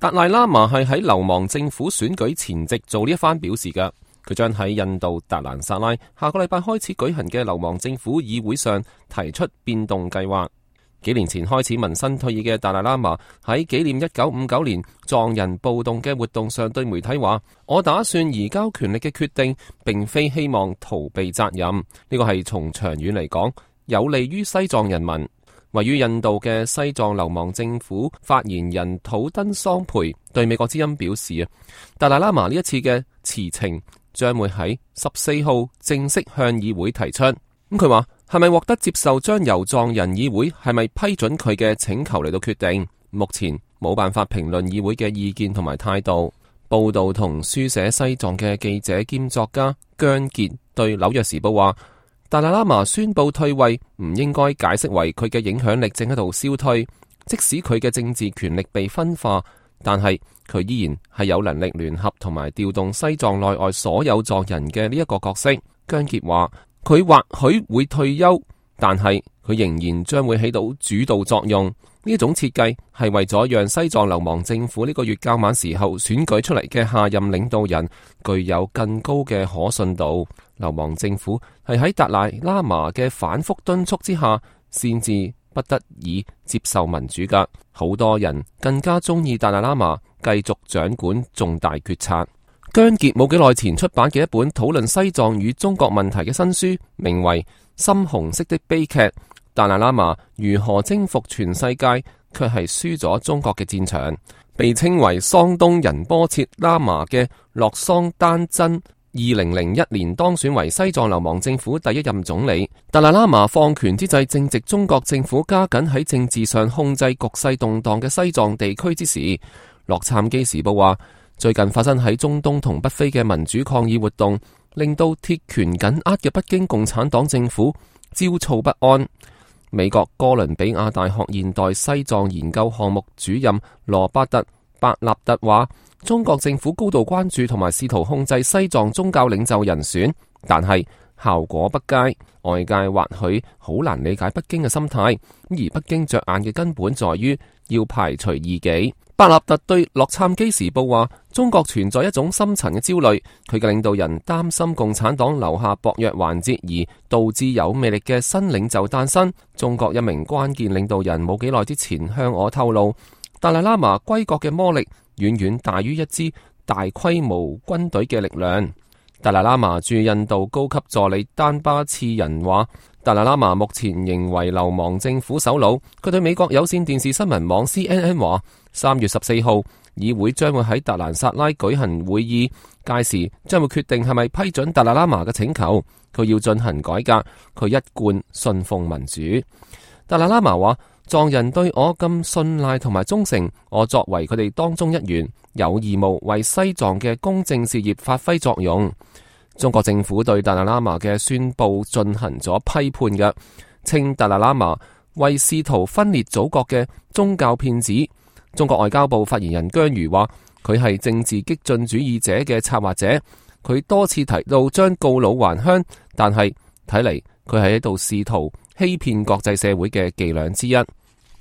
達賴喇嘛係喺流亡政府選舉前夕做呢一番表示嘅。佢將喺印度達蘭薩拉下個禮拜開始舉行嘅流亡政府議會上提出變動計劃。幾年前開始紋身退役嘅達賴喇嘛喺紀念1959年藏人暴動嘅活動上對媒體話：我打算移交權力嘅決定並非希望逃避責任，呢個係從長遠嚟講有利於西藏人民。位於印度嘅西藏流亡政府發言人土登桑培對美國之音表示：達賴喇嘛呢一次嘅辭呈將會喺14號正式向議會提出。佢話係咪獲得接受，將由藏人議會係咪批准佢嘅請求嚟到決定。目前冇辦法評論議會嘅意見同埋態度。報道同書寫西藏嘅記者兼作家姜傑對紐約時報話：達賴喇嘛宣布退位唔應該解釋為佢嘅影響力正喺度消退，即使佢嘅政治權力被分化，但係佢依然係有能力聯合同埋調動西藏內外所有藏人嘅呢一個角色。姜傑話：佢或許會退休，但係佢仍然將會起到主導作用。呢一種設計係為咗讓西藏流亡政府呢個月較晚時候選舉出嚟嘅下任領導人具有更高嘅可信度。流亡政府係喺達賴喇嘛嘅反覆敦促之下，先至不得已接受民主噶。好多人更加中意達賴喇嘛繼續掌管重大決策。姜傑冇幾耐前出版嘅一本討論西藏與中國問題嘅新書，名為《深紅色的悲劇：達賴喇嘛如何征服全世界，卻係輸咗中國嘅戰場》。被稱為桑東仁波切喇嘛嘅洛桑丹真2001年當選為西藏流亡政府第一任總理。達賴喇嘛放權之際，正值中國政府加緊喺政治上控制局勢動盪嘅西藏地區之時。洛杉磯時報話，最近發生喺中東同北非嘅民主抗議活動，令到鐵拳緊握嘅北京共產黨政府焦躁不安。美國哥倫比亞大學現代西藏研究項目主任羅伯特·伯納特話，中國政府高度關注同埋試圖控制西藏宗教領袖人選，但係效果不佳。外界或許好難理解北京嘅心態，而北京着眼嘅根本在於要排除異己。伯納特對洛杉磯時報話，中國存在一種深層嘅焦慮，佢嘅領導人擔心共產黨留下薄弱環節，而導致有魅力嘅新領袖誕生。中國一名關鍵領導人冇幾耐之前向我透露，達賴喇嘛歸國嘅魔力遠遠大於一支大規模軍隊嘅力量。達賴喇嘛駐印度高級助理丹巴次仁話，達賴喇嘛目前仍為流亡政府首腦。佢對美國有線電視新聞網 CNN 話，3月14號議會將會喺達蘭薩拉舉行會議，屆時將會決定係咪批准達賴喇嘛嘅請求。佢要進行改革，佢一貫信奉民主。達賴喇嘛話，藏人對我咁信賴同埋忠誠，我作為佢哋當中一員，有義務為西藏嘅公正事業發揮作用。中國政府對達賴喇嘛嘅宣布進行咗批判嘅，稱達賴喇嘛為試圖分裂祖國嘅宗教騙子。中國外交部發言人姜瑜話，佢係政治激進主義者嘅策劃者。佢多次提到將告老還鄉，但係睇嚟佢係喺度試圖欺騙國際社會嘅伎倆之一。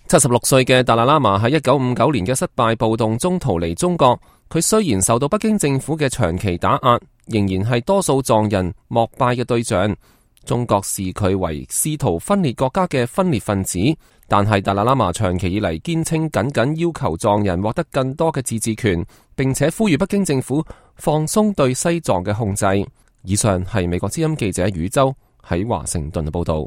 76歲嘅達賴喇嘛喺1959年嘅失敗暴動中逃離中國。佢雖然受到北京政府嘅長期打壓，仍然係多數藏人膜拜嘅對象。中國視佢為試圖分裂國家嘅分裂分子，但係達賴喇嘛長期以嚟堅稱緊緊要求藏人獲得更多嘅自治權，並且呼籲北京政府放鬆對西藏嘅控制。以上係美國之音記者宇宙喺華盛頓嘅報道。